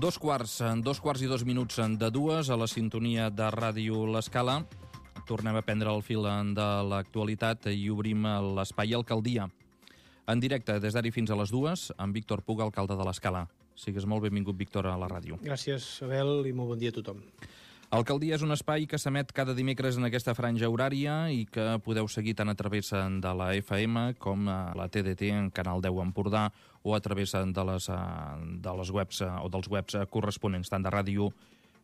Dos quarts i 2 minuts de dues a la sintonia de Ràdio L'Escala. Tornem a prendre el fil de l'actualitat i obrim l'espai Alcaldia. En directe, des d'ara fins a les 2, amb Víctor Puga, alcalde de l'Escala. Sigues molt benvingut, Víctor, a la ràdio. Gràcies, Abel, i molt bon dia a tothom. Alcaldia és un espai que s'emet cada dimecres en aquesta franja horària i que podeu seguir tant a través de la FM com a la TDT en Canal 10 Empordà o a través de les webs o dels webs corresponents, tant de ràdio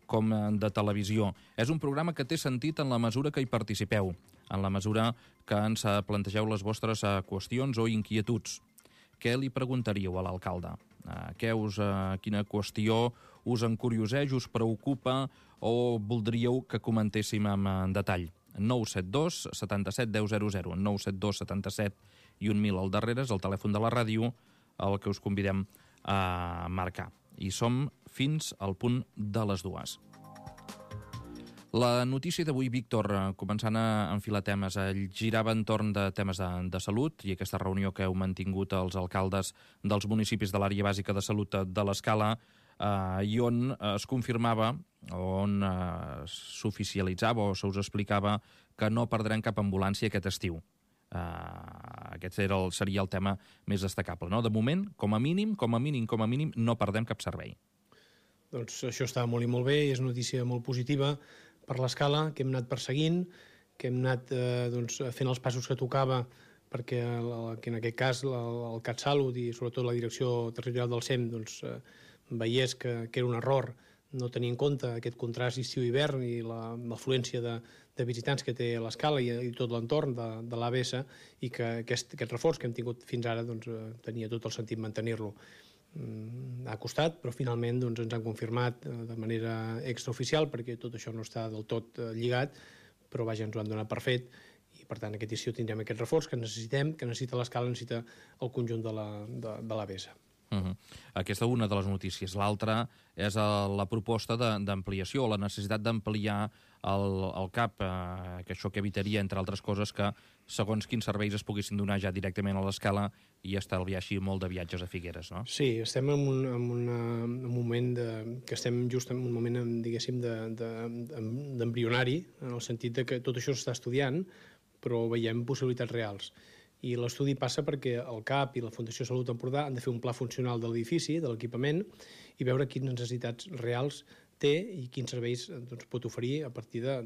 com de televisió. És un programa que té sentit en la mesura que hi participeu, en la mesura que ens plantegeu les vostres qüestions o inquietuds. Què li preguntaríeu a l'alcalde? Quina qüestió us encurioseix, us preocupa o voldríeu que comentéssim en detall? 972 77 10 00, 972 77 i 1000 al darrere és el telèfon de la ràdio el que us convidem a marcar. I som fins al punt de les 2. La notícia d'avui, Víctor, començant a enfilar temes, girava entorn de temes de salut i aquesta reunió que heu mantingut els alcaldes dels municipis de l'àrea bàsica de salut de l'Escala i on es confirmava, on s'oficialitzava o se us explicava que no perdrem cap ambulància aquest estiu. Aquest seria el tema més destacable, no? De moment, com a mínim, no perdem cap servei. Doncs això està molt i molt bé, és una notícia molt positiva per l'Escala, que hem anat perseguint, que hem anat fent els passos que tocava perquè que en aquest cas el CatSalut i sobretot la direcció territorial del SEM veiés que era un error no tenir en compte aquest contrast estiu-hivern i l'afluència de visitants que té l'Escala i tot l'entorn de l'ABS i que aquest reforç que hem tingut fins ara tenia tot el sentit mantenir-lo. Ha costat, però finalment ens han confirmat de manera extraoficial perquè tot això no està del tot lligat, però vaja, ens ho han donat per fet i per tant aquest estiu tindrem aquest reforç que necessitem, que necessita l'Escala, necessita el conjunt de l'ABS. Aquesta és una de les notícies. L'altra és la proposta d'ampliació, la necessitat d'ampliar el CAP, que això que evitaria, entre altres coses, que segons quins serveis es poguessin donar ja directament a l'Escala i estalviar així molt de viatges a Figueres, no? Sí, estem en un moment que estem just en un moment, diguéssim, d'embrionari, en el sentit que tot això s'està estudiant, però veiem possibilitats reals. I l'estudi passa perquè el CAP i la Fundació Salut Empordà han de fer un pla funcional de l'edifici, de l'equipament, i veure quines necessitats reals té i quins serveis pot oferir a partir de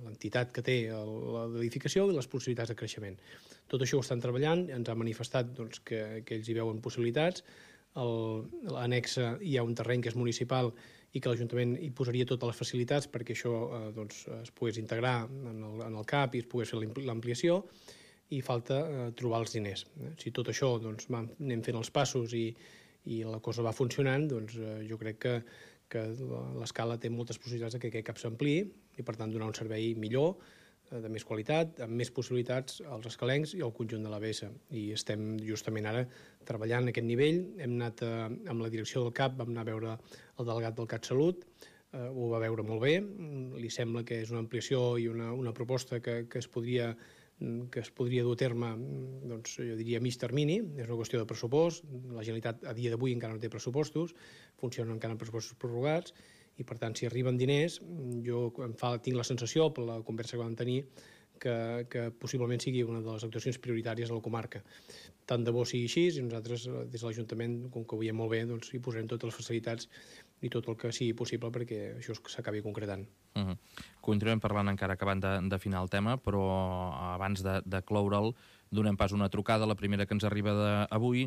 l'entitat que té l'edificació i les possibilitats de creixement. Tot això ho estan treballant, ens han manifestat que ells hi veuen possibilitats. A l'annexa hi ha un terreny que és municipal i que l'Ajuntament hi posaria totes les facilitats perquè això es pogués integrar en el CAP i es pogués fer l'ampliació, i falta trobar els diners. Si tot això anem fent els passos i la cosa va funcionant, jo crec que l'Escala té moltes possibilitats que aquest CAP s'ampliï i per tant donar un servei millor, de més qualitat, amb més possibilitats als escalencs i al conjunt de l'ABS. I estem justament ara treballant a aquest nivell. Hem anat amb la direcció del CAP, vam anar a veure el delegat del CatSalut, ho va veure molt bé, li sembla que és una ampliació i una proposta que es podria dur a terme, jo diria, a mig termini. És una qüestió de pressupost. La Generalitat a dia d'avui encara no té pressupostos, funcionen encara amb pressupostos prorrogats, i per tant, si arriben diners, jo tinc la sensació, per la conversa que vam tenir, que possiblement sigui una de les actuacions prioritàries a la comarca. Tant de bo sigui així, i nosaltres, des de l'Ajuntament, com que ho veiem molt bé, hi posarem totes les facilitats i tot el que sigui possible perquè això s'acabi concretant. Continuem parlant encara acabant d'afinar el tema, però abans de cloure'l, donem pas una trucada. La primera que ens arriba d'avui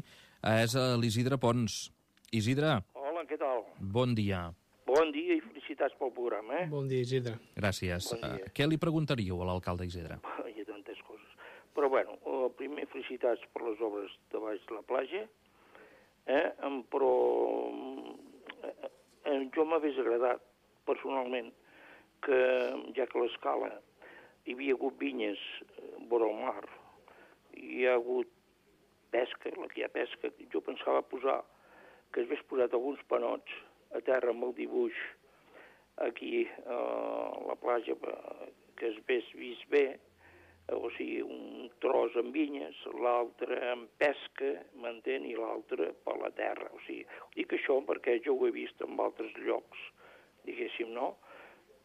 és a l'Isidre Pons. Isidre. Hola, què tal? Bon dia. Bon dia i felicitats pel programa, Bon dia, Isidre. Gràcies. Bon dia. Què li preguntaríeu a l'alcalde Isidre? Hi ha tantes coses. Però bueno, primer felicitats per les obres de baix de la platja, però jo m'hagués agradat personalment que, ja que a l'Escala hi havia hagut vinyes vora el mar, hi ha hagut pesca, la que hi ha pesca, jo pensava que es hagués posat alguns panots a terra amb el dibuix aquí a la platja, que es hagués vist bé, o sigui, un tros amb vinyes, l'altre amb pesca, m'entén, i l'altre per la terra. O sigui, dic això perquè jo ho he vist en altres llocs, diguéssim, no?,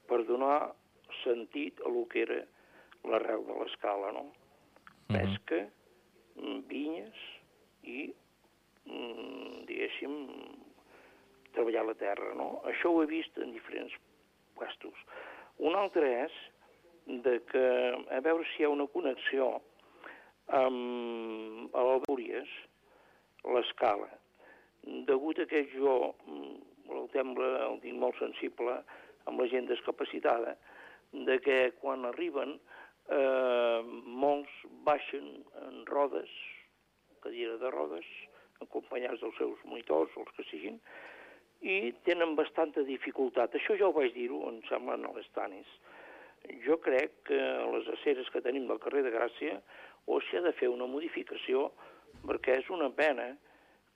per donar sentit a lo que era l'arrel de l'escala, no? Pesca, vinyes i, diguéssim, treballar la terra, no? Això ho he vist en diferents puestos. Un altre és de que, a veure si hi ha una connexió amb l'Albúries, l'escala. Degut a que jo el tinc molt sensible amb la gent discapacitada, de que quan arriben molts baixen en rodes, cadira de rodes, acompanyats dels seus monitors, els que siguin, i tenen bastanta dificultat. Això ja ho vaig dir-ho, em sembla, a les Tanis. Jo crec que a les aceres que tenim del carrer de Gràcia o s'hi ha de fer una modificació, perquè és una pena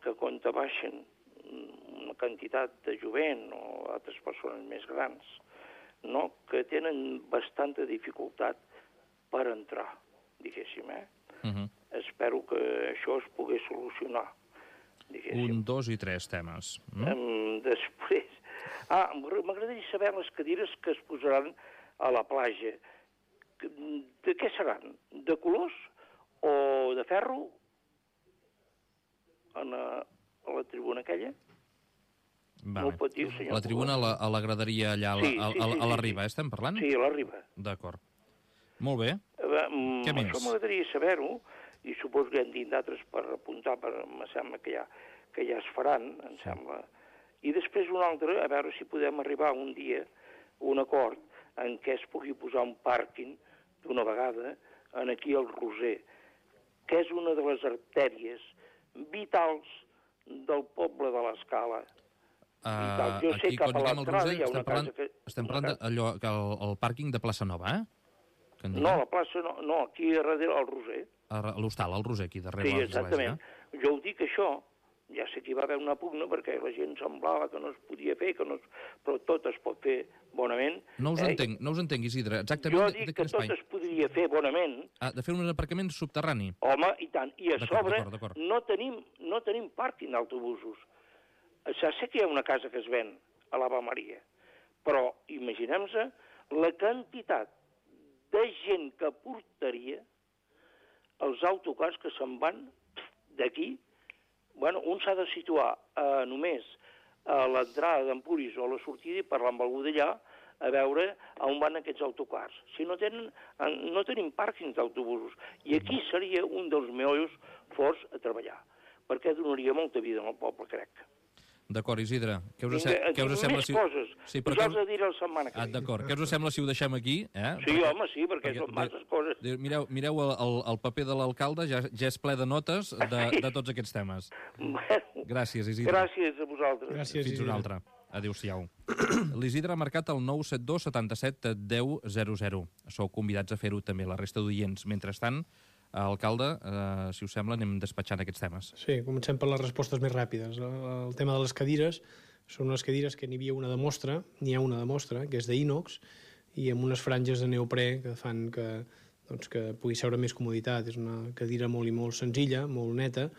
que quan te baixen una quantitat de jovent o altres persones més grans, no, que tenen bastanta dificultat per entrar, diguéssim, Espero que això es pogués solucionar, diguéssim. 1, 2 i 3 temes. Després... m'agradaria saber les cadires que es posaran a la platja. De què seran? De colors o de ferro? A la tribuna aquella? No ho pot dir, senyor. La tribuna a la graderia allà a la riba, estem parlant? Sí, a la riba. D'acord. Molt bé. Què més? Això m'agradaria saber-ho, i suposo que hem dit d'altres per apuntar, em sembla que ja es faran, em sembla. I després un altre, a veure si podem arribar un dia a un acord en què es pugui posar un pàrquing d'una vegada aquí al Roser, que és una de les artèries vitals del poble de l'Escala. Jo sé Aquí, cap quan a diguem el l'entrada Roser, hi ha una casa que... estem parlant d'allò, el pàrquing de Plaça Nova, No, la plaça no, aquí darrere al Roser. L'hostal, al Roser, aquí darrere Sí, l'església. exactament. Jo ho dic això, ja sé que hi va haver una pugna perquè la gent semblava que no es podia fer, però tot es pot fer bonament. No us entenc, Isidre. Exactament jo dic que tot es podria fer bonament. De fer un aparcament subterrani? Home, i tant. I a sobre d'acord. no tenim pàrquing d'autobusos. Ja sé que hi ha una casa que es ven a l'Ava Maria, però imaginem-se la quantitat de gent que portaria els autocars que se'n van d'aquí. Bueno, un s'ha de situar només a l'entrada d'Empúries o a la sortida i parlar amb algú d'allà a veure on van aquests autocars. Si no tenim pàrquings d'autobusos. I aquí seria un dels meollos forts a treballar, perquè donaria molta vida al poble, crec. D'acord, Isidre. Què us sembla si... Més coses. Sí, ja us ho diré la setmana que ve. D'acord. Què us sembla si ho deixem aquí? Sí, home, sí, perquè són masses coses. Mireu el paper de l'alcalde, ja és ple de notes de tots aquests temes. Gràcies, Isidre. Gràcies a vosaltres. Gràcies, Fins una altra. Adéu-siau. L'Isidre ha marcat el 972 77 10 00. Sou convidats a fer-ho també, la resta d'oients. Mentrestant, alcalde, si us sembla, anem despatxant aquests temes. Sí, comencem per les respostes més ràpides. El tema de les cadires, són unes cadires que n'hi havia una de mostra, n'hi ha una de mostra, que és d'ínox, i amb unes franges de neoprè que fan que pugui seure més comoditat. És una cadira molt i molt senzilla, molt neta,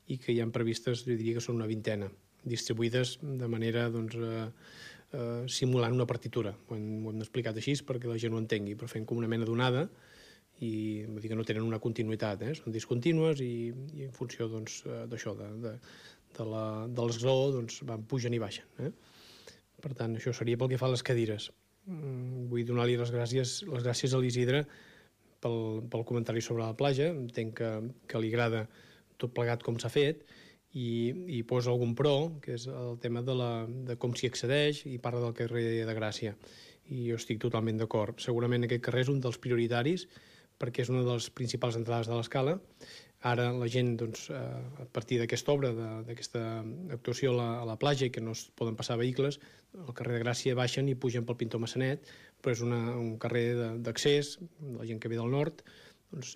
i que hi ha previstes, jo diria que són una vintena, distribuïdes de manera simulant una partitura. Ho hem explicat així perquè la gent ho entengui, però fent com una mena d'onada, i vull dir que no tenen una continuïtat, són discontínues i en funció d'això, de l'esglaó, van pugen i baixen. Per tant, això seria pel que fa a les cadires. Vull donar-li les gràcies a l'Isidre pel comentari sobre la platja. Entenc que li agrada tot plegat com s'ha fet i posa algun pro, que és el tema de com s'hi accedeix, i parla del carrer de Gràcia. I jo estic totalment d'acord. Segurament aquest carrer és un dels prioritaris perquè és una de les principals entrades de l'escala. Ara la gent, a partir d'aquesta obra, d'aquesta actuació a la platja, i que no es poden passar vehicles, al carrer de Gràcia baixen i pugen pel Pintor Massanet, però és un carrer d'accés, la gent que ve del nord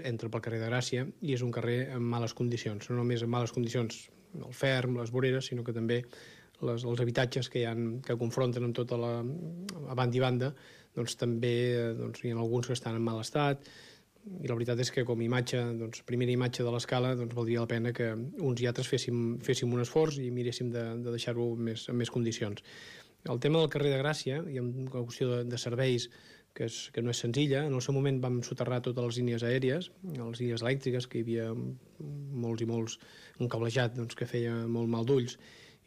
entra pel carrer de Gràcia, i és un carrer en males condicions. No només en males condicions el ferm, les voreres, sinó que també els habitatges que confronten amb tota a banda i banda, també hi ha alguns que estan en mal estat. I la veritat és que com a imatge, doncs, primera imatge de l'escala, doncs valdria la pena que uns i altres féssim un esforç i miréssim de deixar-ho en més condicions. El tema del carrer de Gràcia, hi ha una qüestió de serveis que no és senzilla. En el seu moment vam soterrar totes les línies aèries, les línies elèctriques, que hi havia molts i molts, un cablejat doncs, que feia molt mal d'ulls,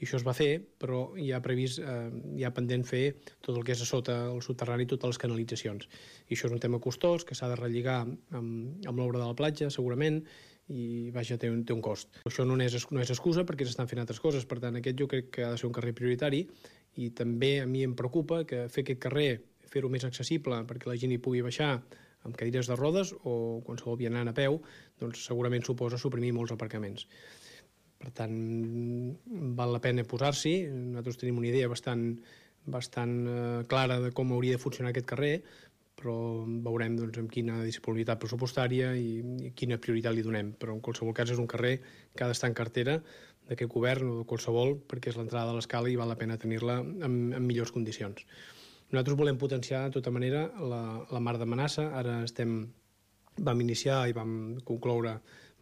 i això es va fer, però hi ha previst, hi ha pendent fer tot el que és a sota el soterrani, totes les canalitzacions. I això és un tema costós, que s'ha de relligar amb l'obra de la platja, segurament, i vaja, té un cost. Això no és excusa perquè s'estan fent altres coses, per tant, aquest jo crec que ha de ser un carrer prioritari, i també a mi em preocupa que fer aquest carrer, fer-ho més accessible perquè la gent hi pugui baixar amb cadires de rodes o qualsevol vianant a peu, doncs segurament suposa suprimir molts aparcaments. Per tant, val la pena posar-s'hi. Nosaltres tenim una idea bastant clara de com hauria de funcionar aquest carrer, però veurem doncs, amb quina disponibilitat pressupostària i quina prioritat li donem. Però en qualsevol cas és un carrer que ha d'estar en cartera d'aquest govern o de qualsevol, perquè és l'entrada de l'escala i val la pena tenir-la en millors condicions. Nosaltres volem potenciar, de tota manera, la Mar de Manassa. Ara vam iniciar i vam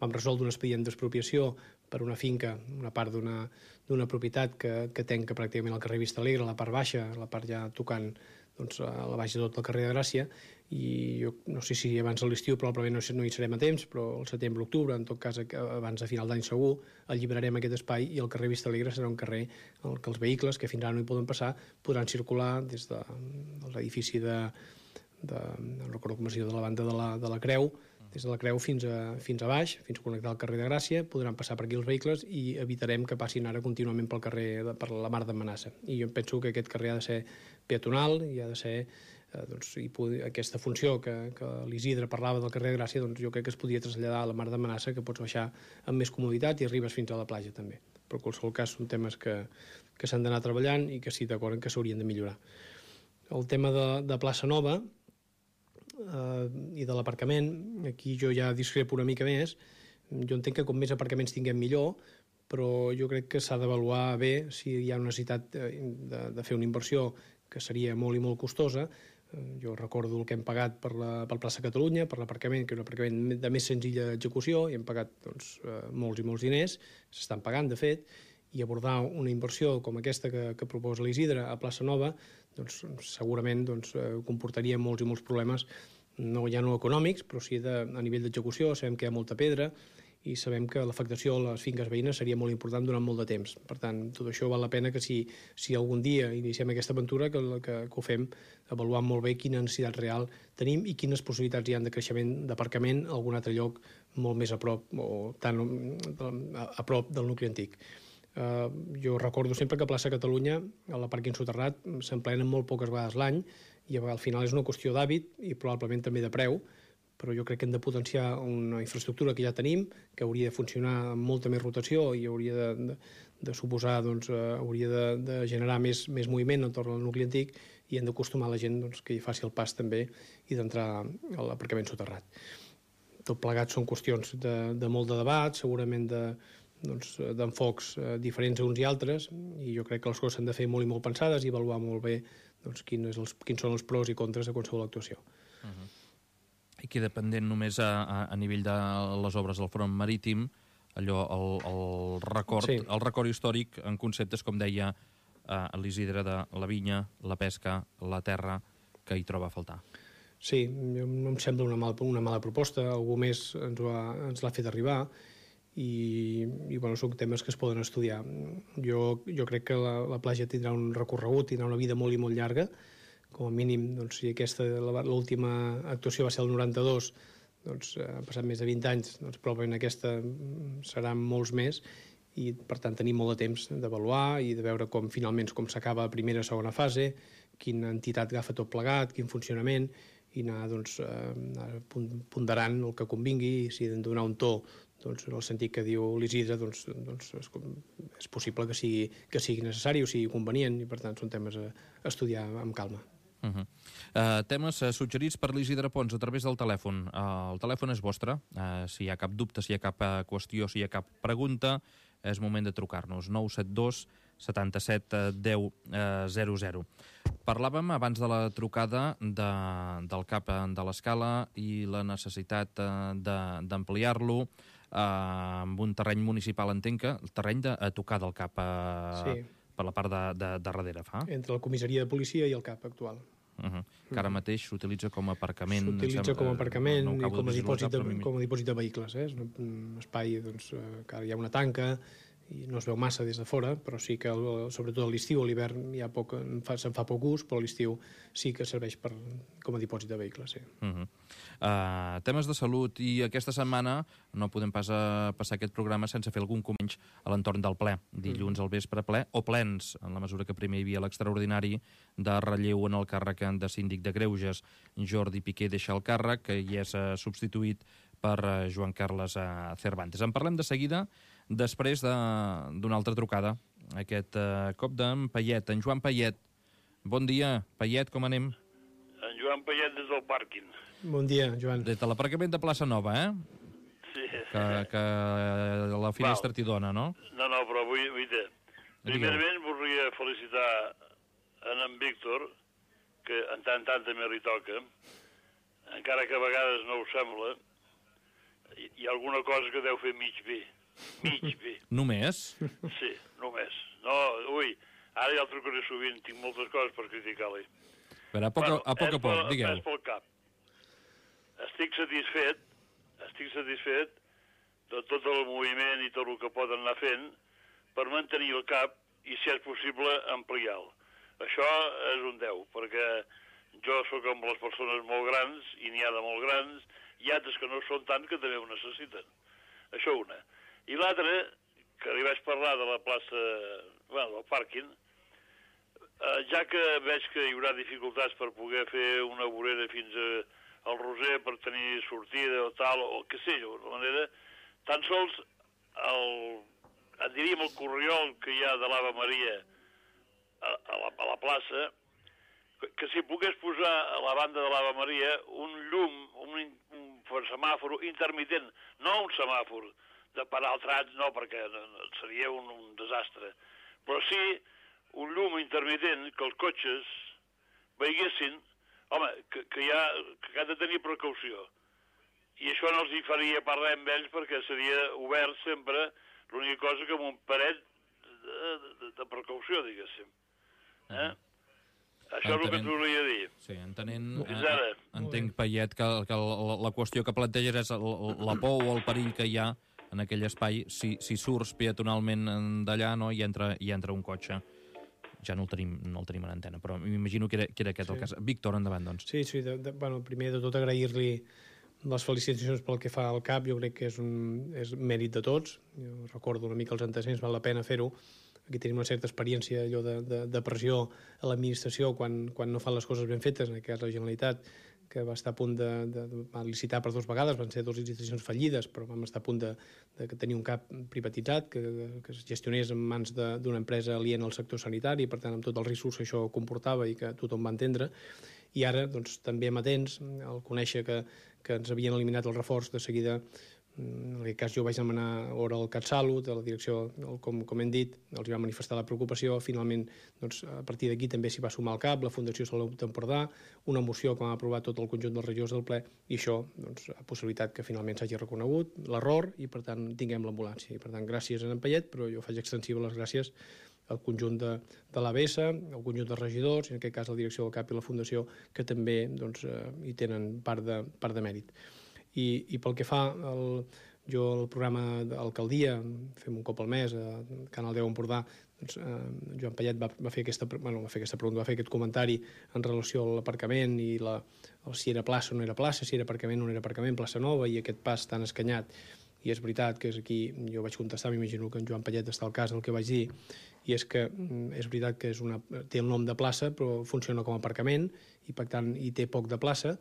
resoldre un expedient d'expropiació per una finca, una part d'una propietat que tanca pràcticament el carrer Vista Alegre, la part baixa, la part ja tocant doncs, a la baixa de tot el carrer de Gràcia, i jo no sé si abans de l'estiu probablement no hi serem a temps, però al setembre, octubre, en tot cas abans de final d'any segur, alliberarem aquest espai i el carrer Vista Alegre serà un carrer en què els vehicles que fins ara no hi poden passar podran circular des de l'edifici no recordo com es diu, de la banda de la Creu, des de la Creu fins a baix, fins a connectar el carrer de Gràcia, podran passar per aquí els vehicles i evitarem que passin ara contínuament per la Mar de Manassa. I jo penso que aquest carrer ha de ser peatonal i ha de ser aquesta funció que l'Isidre parlava del carrer de Gràcia, doncs jo crec que es podia traslladar a la Mar de Manassa, que pots baixar amb més comoditat i arribes fins a la platja també. Però en qualsevol cas són temes que s'han d'anar treballant i que sí, d'acord, que s'haurien de millorar. El tema de Plaça Nova i de l'aparcament, aquí jo ja discrepo una mica més. Jo entenc que com més aparcaments tinguem millor, però jo crec que s'ha d'avaluar bé si hi ha una necessitat de fer una inversió que seria molt i molt costosa. Jo recordo el que hem pagat per Plaça Catalunya, per l'aparcament, que és un aparcament de més senzilla execució, i hem pagat doncs, molts i molts diners, s'estan pagant, de fet, i abordar una inversió com aquesta que proposa l'Isidre a Plaça Nova doncs, segurament comportaria molts i molts problemes, ja no econòmics, però sí a nivell d'execució. Sabem que hi ha molta pedra i sabem que l'afectació a les finques veïnes seria molt important durant molt de temps. Per tant, tot això val la pena que si algun dia iniciem aquesta aventura, que ho fem avaluant molt bé quina necessitat real tenim i quines possibilitats hi ha de creixement d'aparcament a algun altre lloc molt més a prop o tan a prop del nucli antic. Jo recordo sempre que a Plaça Catalunya, a la pàrquing soterrat, s'emplenen molt poques vegades l'any i al final és una qüestió d'hàbit i probablement també de preu, però jo crec que hem de potenciar una infraestructura que ja tenim, que hauria de funcionar amb molta més rotació i hauria de suposar, hauria de generar més moviment entorn al nucli antic, i hem d'acostumar la gent que hi faci el pas també i d'entrar a l'aparcament soterrat. Tot plegat són qüestions de molt de debat, segurament d'enfocs diferents a uns i altres, i jo crec que les coses s'han de fer molt i molt pensades i avaluar molt bé quins són els pros i contres de qualsevol actuació. I queda pendent només a nivell de les obres del front marítim, allò, el record històric en conceptes, com deia l'Isidre, de la vinya, la pesca, la terra, que hi troba a faltar. Sí, no em sembla una mala proposta, algú més ens l'ha fet arribar, i són temes que es poden estudiar. Jo crec que la platja tindrà un recorregut, tindrà una vida molt i molt llarga. Com a mínim, si l'última actuació va ser el 92, han passat més de 20 anys, probablement aquesta serà molts més, i per tant tenim molt de temps d'avaluar i de veure com finalment com s'acaba la primera o segona fase, quina entitat agafa tot plegat, quin funcionament, i anar ponderant el que convingui, i si hem de donar un to en el sentit que diu l'Isidre, és possible que sigui necessari o sigui convenient, i per tant són temes a estudiar amb calma. Temes suggerits per l'Isidre Pons a través del telèfon. El telèfon és vostre. Si hi ha cap dubte, si hi ha cap qüestió, si hi ha cap pregunta, és moment de trucar-nos. 972 77 10 00. Parlàvem abans de la trucada del CAP de l'Escala i la necessitat d'ampliar-lo amb un terreny municipal, entenc que el terreny a tocar del CAP per la part de darrere, fa? Entre la comissaria de policia i el CAP actual. Que ara mateix s'utilitza com a aparcament. S'utilitza com a aparcament i com a dipòsit de vehicles. És un espai que ara hi ha una tanca i no es veu massa des de fora, però sí que sobretot a l'estiu, a l'hivern se'n fa poc ús, però a l'estiu sí que serveix com a dipòsit de vehicles. Temes de salut, i aquesta setmana no podem pas passar aquest programa sense fer algun comentari a l'entorn del ple. Dilluns al vespre ple, o plens, en la mesura que primer hi havia l'extraordinari de relleu en el càrrec de síndic de Greuges. Jordi Piqué deixa el càrrec i és substituït per Joan Carles Cervantes. En parlem de seguida, després d'una altra trucada. Aquest cop d'en Payet, en Joan Payet. Bon dia, Payet, com anem? En Joan Payet des del pàrquing. Bon dia, Joan. Des de l'aparcament de Plaça Nova, Sí. Que la finestra t'hi dona, no? No, però vull dir... Primerament volia felicitar en Víctor, que en tant també li toca, encara que a vegades no ho sembla, hi ha alguna cosa que deu fer mig bé. Mig bé. Només? Sí, només. No, ara ja el trucaré sovint, tinc moltes coses per criticar-li. Però a poc, digueu. És pel cap. Estic satisfet de tot el moviment i tot el que poden anar fent per mantenir el cap i, si és possible, ampliar-lo. Això és un 10, perquè jo sóc amb les persones molt grans, i n'hi ha de molt grans, i altres que no són tant, que també ho necessiten. Això una. I l'altra, que li vaig parlar de la plaça, del pàrquing, ja que veig que hi haurà dificultats per poder fer una vorera fins al Roser per tenir sortida o tal, o què sé jo, de manera, tan sols diríem el corriol que hi ha de l'Ave Maria a la plaça, que si pogués posar a la banda de l'Ave Maria un llum, un semàfor intermitent, no un semàfor de parar el trànsit, no, perquè seria un desastre, però sí un llum intermitent que els cotxes veiessin, home, que han de tenir precaució. I això no els hi faria parlar amb ells perquè seria obert sempre, l'única cosa que amb un paret de precaució, diguéssim. Això és el que t'ho volia dir. Sí, entenc, Payet, que la qüestió que planteges és la por o el perill que hi ha en aquell espai si surts peatonalment d'allà, no, i entra un cotxe. Ja no el tenim en antena, però m'imagino que era aquest el cas. Víctor, endavant, doncs. Sí, primer de tot agrair-li les felicitacions pel que fa al CAP. Jo crec que és mèrit de tots. Jo recordo una mica els antecedents, val la pena fer-ho. Aquí tenim una certa experiència allò de pressió a l'administració quan no fan les coses ben fetes, en aquest cas la Generalitat, que va estar a punt de licitar per 2 vegades, van ser 2 licitacions fallides, però vam estar a punt de tenir un CAP privatitzat, que es gestionés en mans d'una empresa aliena al sector sanitari, per tant, amb tots els riscos que això comportava i que tothom va entendre. I ara, doncs, també amatents, al conèixer que ens havien eliminat el reforç, de seguida, en aquest cas jo vaig demanar hora al CatSalut, a la direcció, com hem dit, els va manifestar la preocupació. Finalment, doncs, a partir d'aquí també s'hi va sumar el CAP, la Fundació Salut d'Empordà, una moció que va aprovar tot el conjunt dels regidors del ple, i això doncs, ha possibilitat que finalment s'hagi reconegut l'error i, per tant, tinguem l'ambulància. I, per tant, gràcies a en Payet, però jo faig extensiva les gràcies al conjunt de l'ABS, al conjunt de regidors, i en aquest cas la direcció del CAP i la Fundació, que també doncs, hi tenen part de mèrit. I pel que fa jo el programa d'alcaldia, fem un cop al mes a Canal 10 Empordà, doncs, Joan Payet va fer aquesta pregunta, va fer aquest comentari en relació a l'aparcament i si era plaça o no era plaça, si era aparcament o no era aparcament, plaça Nova, i aquest pas tan escanyat. I és veritat que és aquí, jo vaig contestar, m'imagino que en Joan Payet està al cas del que vaig dir, i és que és veritat que té el nom de plaça, però funciona com a aparcament, i per tant hi té poc de plaça,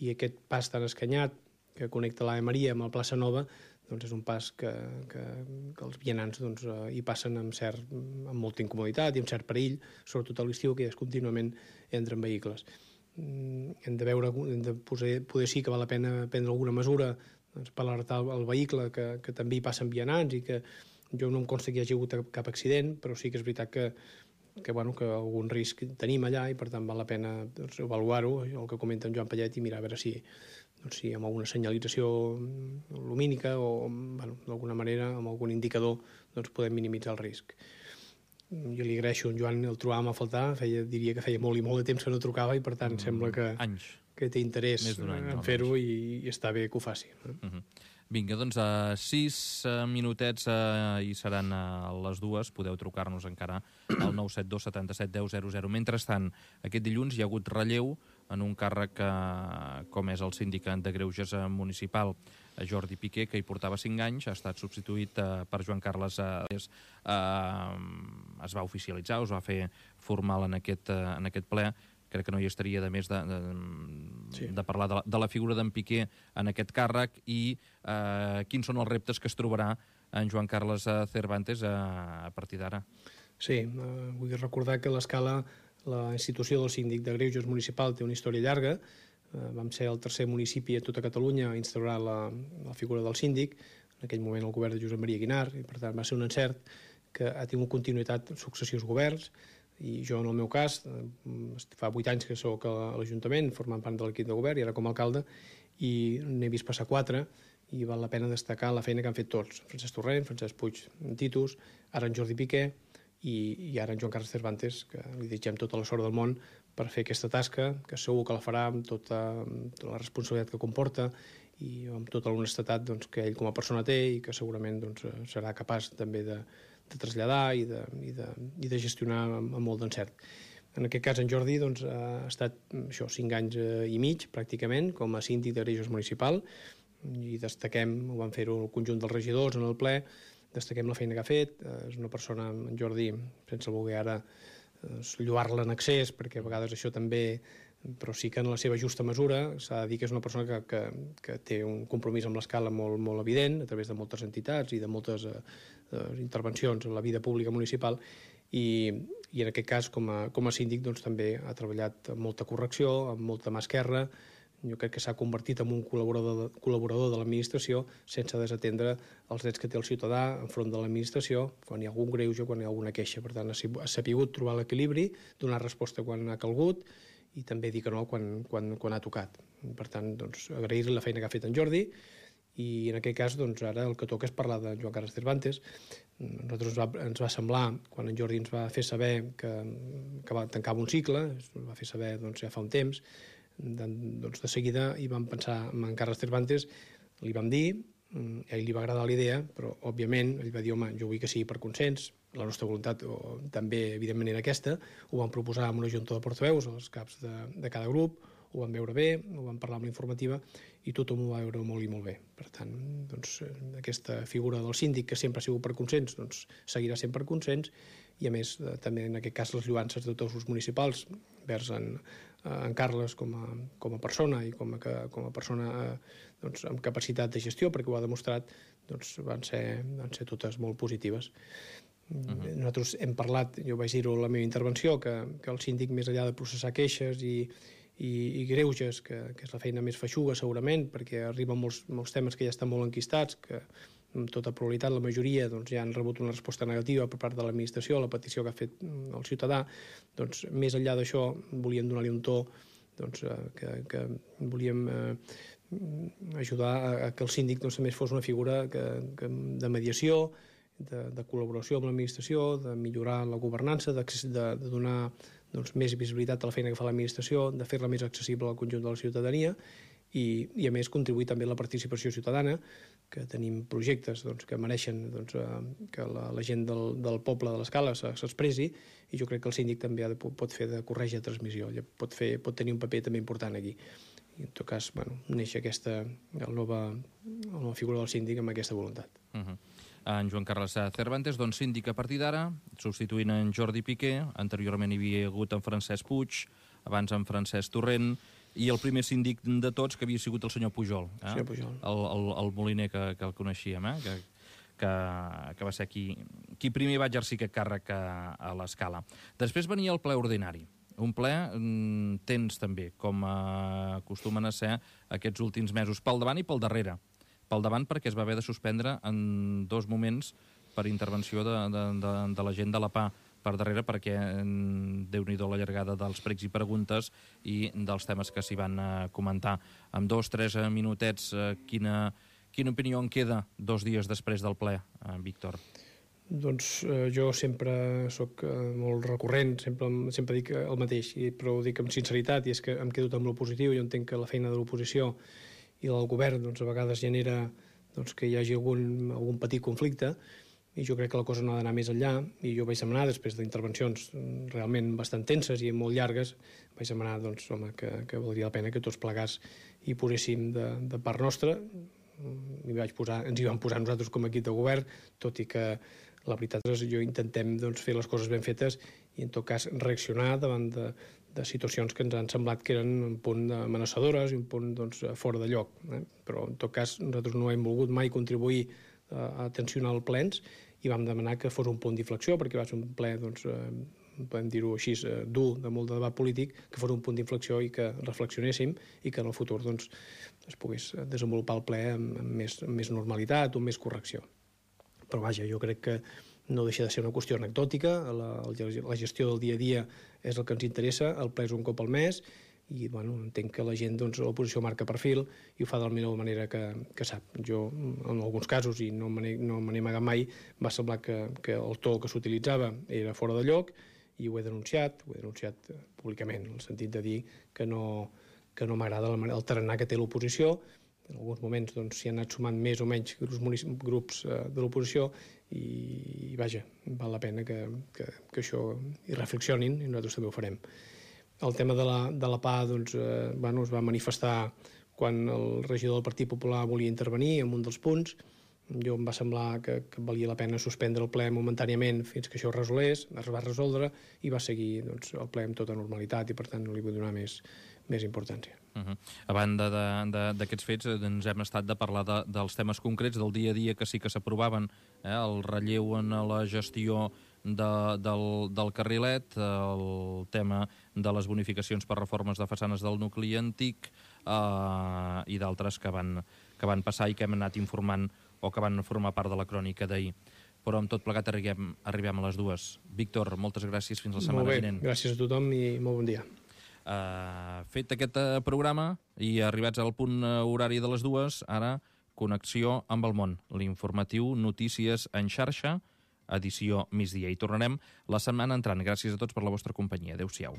i aquest pas tan escanyat que connecta l'Ave Maria amb la plaça Nova, doncs és un pas que els vianants doncs, hi passen amb molta incomoditat i amb cert perill, sobretot a l'estiu, que contínuament entren vehicles. Hem de veure, poder sí que val la pena prendre alguna mesura doncs, per alertar el vehicle que també hi passen vianants i que Jo no em consta que hi hagi hagut cap accident, però sí que és veritat que algun risc tenim allà i per tant val la pena avaluar-ho, el que comenta en Joan Pallet, i mirar a veure si amb alguna senyalització lumínica o d'alguna manera amb algun indicador podem minimitzar el risc. Jo li agraeixo a en Joan, el trobàvem a faltar, diria que feia molt i molt de temps que no trucava i per tant sembla que té interès en fer-ho i està bé que ho faci. Vinga, doncs 6 minutets i seran a les 2. Podeu trucar-nos encara al 972 77 10 00. Mentrestant, aquest dilluns hi ha hagut relleu en un càrrec com és el síndic de Greuges municipal, Jordi Piqué, que hi portava 5 anys, ha estat substituït per Joan Carles. Es va oficialitzar, es va fer formal en aquest ple. Crec que no hi estaria de més de parlar de la figura d'en Piqué en aquest càrrec i quins són els reptes que es trobarà en Joan Carles Cervantes a partir d'ara. Sí, vull recordar que l'escala, la institució del síndic de Greuges municipal té una història llarga. Vam ser el tercer municipi a tota Catalunya a instaurar la figura del síndic, en aquell moment el govern de Josep Maria Guinar, i per tant va ser un encert que ha tingut continuïtat en successius governs. I jo, en el meu cas, fa 8 anys que soc a l'Ajuntament, formant part de l'equip de govern, i ara com a alcalde, i n'he vist passar 4, i val la pena destacar la feina que han fet tots. Francesc Torrent, Francesc Puig Titus, ara en Jordi Piqué, i ara en Joan Carles Cervantes, que li desitgem tota la sort del món per fer aquesta tasca, que segur que la farà amb tota la responsabilitat que comporta i amb tota l'honestedat que ell com a persona té i que segurament serà capaç també de traslladar i de gestionar amb molt d'encert. En aquest cas, en Jordi ha estat 5 anys i mig, pràcticament, com a síndic de Greuges municipal, i destaquem, ho van fer-ho el conjunt dels regidors en el ple, destaquem la feina que ha fet. És una persona, en Jordi, sense voler ara lloar-la en excés, perquè a vegades això també, però sí que en la seva justa mesura s'ha de dir que és una persona que té un compromís amb l'escala molt, molt evident, a través de moltes entitats i de moltes intervencions en la vida pública municipal, i en aquest cas com a síndic també ha treballat amb molta correcció, amb molta mà esquerra. Jo crec que s'ha convertit en un col·laborador de l'administració sense desatendre els drets que té el ciutadà enfront de l'administració quan hi ha algun greuge, quan hi ha alguna queixa. Per tant, ha sabut trobar l'equilibri, donar resposta quan ha calgut i també dir que no quan ha tocat. Per tant, agrair-li la feina que ha fet en Jordi, i en aquest cas ara el que toca és parlar de Joan Carles Cervantes. A nosaltres ens va semblar, quan en Jordi ens va fer saber que tancava un cicle, ens va fer saber ja fa un temps, de seguida hi vam pensar en Carles Cervantes, li vam dir, a ell li va agradar la idea, però òbviament ell va dir, home, jo vull que sigui per consens, la nostra voluntat també evidentment era aquesta, ho vam proposar amb una junta de portaveus, els caps de cada grup, ho vam veure bé, ho vam parlar amb la informativa i tothom ho va veure molt i molt bé. Per tant, aquesta figura del síndic, que sempre ha sigut per consens, seguirà sent per consens, i a més també en aquest cas les lloances de tots els municipals vers en Carles com a persona i com a persona amb capacitat de gestió, perquè ho ha demostrat, van ser totes molt positives. Nosaltres hem parlat, jo vaig dir-ho en la meva intervenció, que el síndic, més enllà de processar queixes i greuges, que és la feina més feixuga segurament, perquè arriben molts temes que ja estan molt enquistats, que amb tota probabilitat la majoria ja han rebut una resposta negativa per part de l'administració a la petició que ha fet el ciutadà. Més enllà d'això, volíem donar-li un to que volíem ajudar a que el síndic també fos una figura de mediació, de col·laboració amb l'administració, de millorar la governança, de donar més visibilitat a la feina que fa l'administració, de fer-la més accessible al conjunt de la ciutadania i a més contribuir també a la participació ciutadana, que tenim projectes que mereixen que la gent del poble de l'Escala s'expressi, i jo crec que el síndic també pot fer de corretja de transmissió, pot tenir un paper també important aquí. I en tot cas, neix aquesta nova figura del síndic amb aquesta voluntat. En Joan Carles Cervantes, síndic a partir d'ara, substituint en Jordi Piqué. Anteriorment hi havia hagut en Francesc Puig, abans en Francesc Torrent, i el primer síndic de tots, que havia sigut el senyor Pujol, el moliner que el coneixíem, que va ser qui primer va exercir aquest càrrec a l'Escala. Després venia el ple ordinari, un ple tens també, com acostumen a ser aquests últims mesos, pel davant i pel darrere. Pel davant perquè es va haver de suspendre en 2 moments per intervenció de la gent de la PA per darrere, perquè déu-n'hi-do la llargada dels pregs i preguntes i dels temes que s'hi van comentar. Amb 2-3 minutets, quina opinió en queda 2 dies després del ple, Víctor? Doncs jo sempre sóc molt recurrent, sempre dic el mateix, però ho dic amb sinceritat, i és que em quedo amb el positiu. Jo entenc que la feina de l'oposició i del govern doncs, a vegades genera que hi hagi algun petit conflicte, i jo crec que la cosa no ha d'anar més enllà, i jo vaig demanar, després d'intervencions realment bastant tenses i molt llargues, vaig demanar doncs, home, que valdria la pena que tots plegats hi poséssim de part nostra. Ens hi vam posar nosaltres com a equip de govern, tot i que la veritat és que intentem fer les coses ben fetes i en tot cas reaccionar davant de situacions que ens han semblat que eren un punt amenaçadores i un punt fora de lloc. Però en tot cas nosaltres no hem volgut mai contribuir a tensionar els plens i vam demanar que fos un punt d'inflexió, perquè va ser un ple, podem dir-ho així, dur, de molt de debat polític, que fos un punt d'inflexió i que reflexionéssim i que en el futur es pogués desenvolupar el ple amb més normalitat o amb més correcció. Però vaja, jo crec que no deixa de ser una qüestió anecdòtica, la gestió del dia a dia és el que ens interessa, el ple és un cop al mes, i entenc que la gent, l'oposició marca perfil i ho fa de la millor manera que sap. Jo, en alguns casos, i no me n'he amagat mai, va semblar que el to que s'utilitzava era fora de lloc, i ho he denunciat públicament, en el sentit de dir que no m'agrada el tarannà que té l'oposició. En alguns moments s'hi han anat sumant més o menys grups de l'oposició i vaja, val la pena que això hi reflexionin i nosaltres també ho farem. El tema de la PA es va manifestar quan el regidor del Partit Popular volia intervenir en un dels punts. Jo em va semblar que valia la pena suspendre el ple momentàniament fins que això es va resoldre i va seguir el ple amb tota normalitat i per tant no li vull donar més importància. A banda d'aquests fets, hem estat de parlar dels temes concrets del dia a dia que sí que s'aprovaven, el relleu en la gestió del carrilet, el tema de les bonificacions per reformes de façanes del nucli antic i d'altres que van passar i que hem anat informant o que van formar part de la crònica d'ahir. Però amb tot plegat arribem a les 2. Víctor, moltes gràcies, fins la setmana vinent. Molt bé, gràcies a tothom i molt bon dia. Fet aquest programa i arribats al punt horari de les 2, ara connexió amb el món, l'informatiu Notícies en xarxa, edició migdia. I tornarem la setmana entrant. Gràcies a tots per la vostra companyia. Adéu-siau.